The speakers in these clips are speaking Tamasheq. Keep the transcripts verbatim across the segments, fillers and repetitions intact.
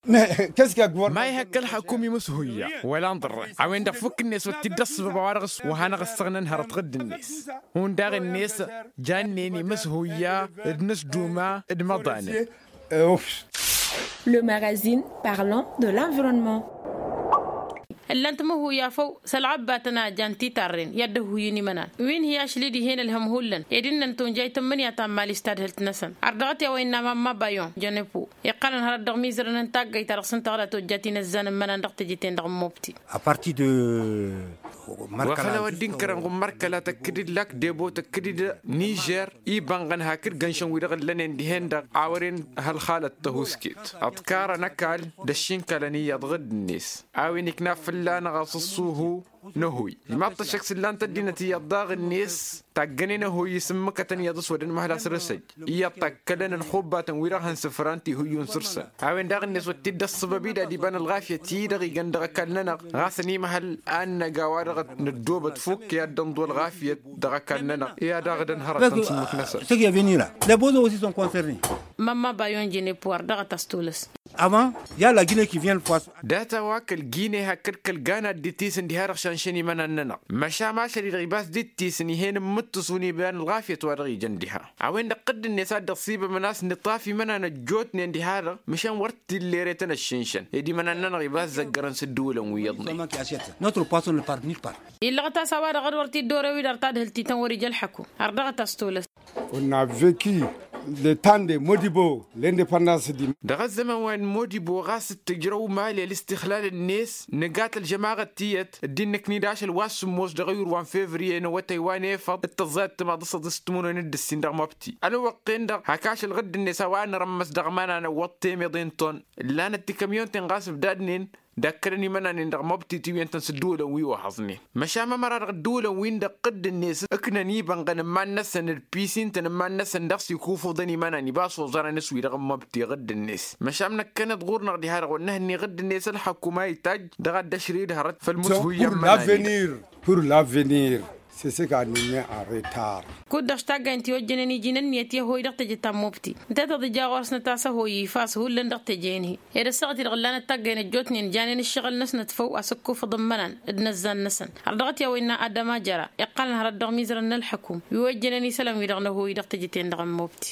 Ma ihăkk ălxăkum imǝshuyya wăla n-iḍărrăn a-wen-dăɣ fukk-net wăr t-dd-ăṣṣăbăb a-wa-dăɣ s-wa hanăɣ-ăssăɣnăn hărăt ɣǝdd-net. Hundăɣ-net jannen imǝshuyya d-inǝsduma d-imăḍanăn. Le magazine parlant de l'environnement. Ǝllan-t imǝhuyya făw s-ălɣăbbatăn a jan titarren i-ad-dd-ăhhuyǝn imănan wi n-hi-ašli dihen ălhăm hullan ed innăn tunjayt n-imǝnǝya ta n-imali s-tadhǝlt-năsăn. Ărdăɣăt i-a-wa innă mamma bayon jănepo iqqălăn hărăt dăɣ-imizărăn n-taggayt ta dăɣ-s n-tăɣla tojjat inăzzan n-imănan dăɣ-teje-ten-dăɣ n-mobti. A partir de wa făll-a-wa dd-inkărăn ɣummărkăla tăkk-dd lak debo tăkk-dd nižer ibănɣăn hakd gănšăn wi-dăɣ ǝllănen dihen-dăɣ a wăren hălxalăt tăhusket ǝḍkarăn ăkall d-ăššinkălăn iyyăḍ ɣǝdd-net. A-wen ikna fălla-năɣ a-s ăṣṣuhu n-ăhuy. Ijmaḍ-t ăššăk s-ǝllan-t ăddinăt iyyăḍ daɣ-net taggănen ăhuy isǝmmǝkătăn iyyăḍ s-wăr-ănmăhăl asrăsăj iyyăḍ takkălăn ălxubbatăn-wi-dăɣ hăn-sǝfran tihǝyyun săr-săn. A-wen daɣ-net wăr t-dd-ăṣṣăbăb-dd ad-iba n-ălɣafyăt-i-dăɣ igan dăɣ-ăkall-nănăɣ ɣas ănimăhăl ad-năgg a-wa-dăɣ năddoobăt fukk i-ad-dd-ănḍu ălɣafyăt dăɣ-ăkall-nănăɣ i-ad-dăɣ-dd-ănhărăt n-sǝmmǝk-năsăn. Mamma bayon jănepo ărdăɣăt a-s tolăs. Avant, i-a la gine ki vien fois. Data-wa kăl-gine hakd kăl-gana dd-itisǝn diha-dăɣ šanšăn imănan-nănăɣ măšan ašăl-i-dăɣ ibas dd-itisǝn ih'-en n-imǝttǝs unibăyan ălɣafyăt wa dăɣ-ijăn diha. A-wen-dăɣ ɣǝdd-net a dd-ăṣṣibămăn a-s nǝṭṭaf imănan ăjjootnen diha-dăɣ măšan wăr t-illa ere-tăn ăššǝnšăn ed imănan-nănăɣ ibas zăggărăn s-ǝddǝwǝlăn wi iyyăḍnen. Notre poisson ne part nulle part. Illăɣăt a-s a-wa-dăɣ a-dd wăr t-dd-orew-i dăɣ-tadhǝlt-i-tăn wăr-ija ălḥăkum. Ărdăɣăt a-s tolăs. On a vecu le temps de modibo l'independance di. Dăɣ-ăzzăman wa n-modibo ɣas d-tǝjrăw mali ălistixlal-net nǝgat ălžămaɣăt tiyyăt dd-innăknǝy-dd ašăl wa s-sǝmmos dăɣ-ayǝr wa n-fevriye n-awătay wa n-efăḍ d-tăẓẓayăt timaḍ s-ăḍis timǝrwen d-ǝssin dăɣ-măbti. Ălwăqq-en-dăɣ hak ašăl ɣǝdd-net a-wa nărămmăs dăɣ-imănan ăwwăḍ temeḍe n-ton ǝllanăt tikămyon-ten ɣas ǝbdadnen d-akkălăn imănanen dăɣ-măbti tiwǝyăn-tăn s-ǝddǝwǝlăn wi ohăẓnen. Măšan mămăra dăɣ-ǝddǝwǝlăn-win-dăɣ ɣǝdd-net ǝknăn ibănɣăn n-iman-năsăn d-pisintăn n-iman-năsăn dăɣ-s ikufuḍăn imănan ibas oẓărăn s-wi-dăɣ n-măbti ɣǝdd-net. Măšan năkkăneḍ ɣur-năɣ diha-dăɣ wăr năhǝnni ɣǝdd-net ălxăkum a itajj dăɣ-ad-dd-ašrǝy d-hărăt făll-imǝshuyya n-imănan-i-dăɣ. Pur l'avenir. Sesek a nǝnne en retard. Kud-dăɣ s-taggaynt i-ojjănen iji n-ǝnniyăt i-ăhoy dăɣ-teje ta n-mobti. Ǝnta i-tăḍija ɣur-s nǝtas ăhoy ifas hullan dăɣ-teje-en-hi. Ed ăssaɣăt-i-dăɣ ǝllanăt taggayăn ăjjootnen janen ǝššăɣǝl-năsnăt făw a-s ǝkkufăḍ n-imănan d-inăzzan-năsăn. Ărdăɣăt i-a-wa innă adăma jăra iqqălăn hărăt dăɣ-imizărăn n-ălḥăkum wi ojjănen isălan-wi-dăɣ n-ăhoy dăɣ-teje-ten-dăɣ n-mobti.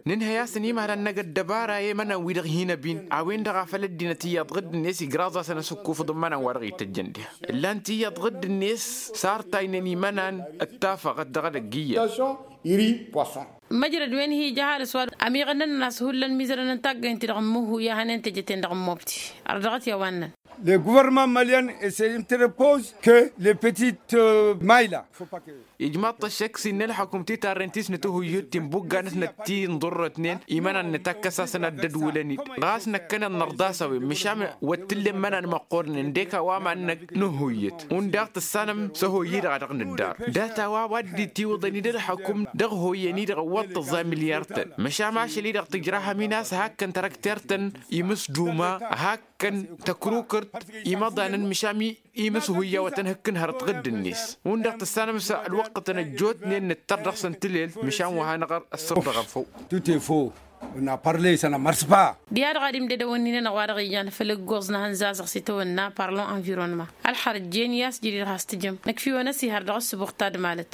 Nǝnhăy a-s ănimăhăl ad-năgg ăddăbara i-imănan-wi-dăɣ hin-ăbin a-wen-dăɣ a făl ăddinăt iyyăḍ ɣǝdd-net igraẓ-asăn a-s ǝkkufăḍ n-imănan wa dăɣ-ităjjăn diha. Ǝllan-t iyyăḍ ɣǝdd-net sartaynen imănan d-tafăɣăt dăɣ-edăgg iyyăḍ. Măjrăd wen hi-ija ăhalǝs wa ămiɣăn-nănăn a-s hullan mizărăn n-taggăynt-i-dăɣ n-mǝhu i-ad-hănen teje-ten-dăɣ n-mobti. Ărdăɣăt i-a-wa ǝnnăn. Le guvărnămant malyan ese interpose ke le petite mayla. Ijmaḍ-t ăššăk s-innă ălḥăkum titarren ti s-nǝtǝhuyyǝt ti n-ibugga-năsnăt ti n-iḍurrătnen imănan nǝtakkăs-asăn ad-dd-ădwǝlăn-dd ɣas năkkăneḍ nărḍas a-wen măšan wăr t-tǝllen imănan măqqoornen d-eka wa mannăk nǝhuyyǝt. Hundăɣ tǝssanăm s-ăhoyy-i-dăɣ a dăɣ-nǝddar data-wa wa dd-itiwǝḍăn-dd ălḥăkum dăɣ-hoyyăn-i-dăɣ ăwwăḍ tǝẓẓa milyar-tăn. Măšan ašăl-i-dăɣ tǝjrahăm-in a-s hakkăn taraktert-tăn imǝsduma hak kăn tăkrukărt imăḍanăn măšan imǝshuyya wa tăn-hǝkkǝn hărăt ɣǝdd-net. Hundăɣ tǝssanăm s-ălwăqqătăn ăjjootnen nǝttăr dăɣ-săn tǝlelt măšan wa hanăɣ-ăssărdăɣăn făw. Tute fo. N-a parle săn ămărsăpa. Diha-dăɣ ad-imdădăwăn-in-anăɣ wa dăɣ-ijan făll-ǝggoẓ n-ehăn zazăɣ s-itawănna parlon environnement ălxărăt jen i-a-s jădid has-tǝjǝm năkfiwăn ăsihăr dăɣ-ăssǝbuɣ tadmalăt.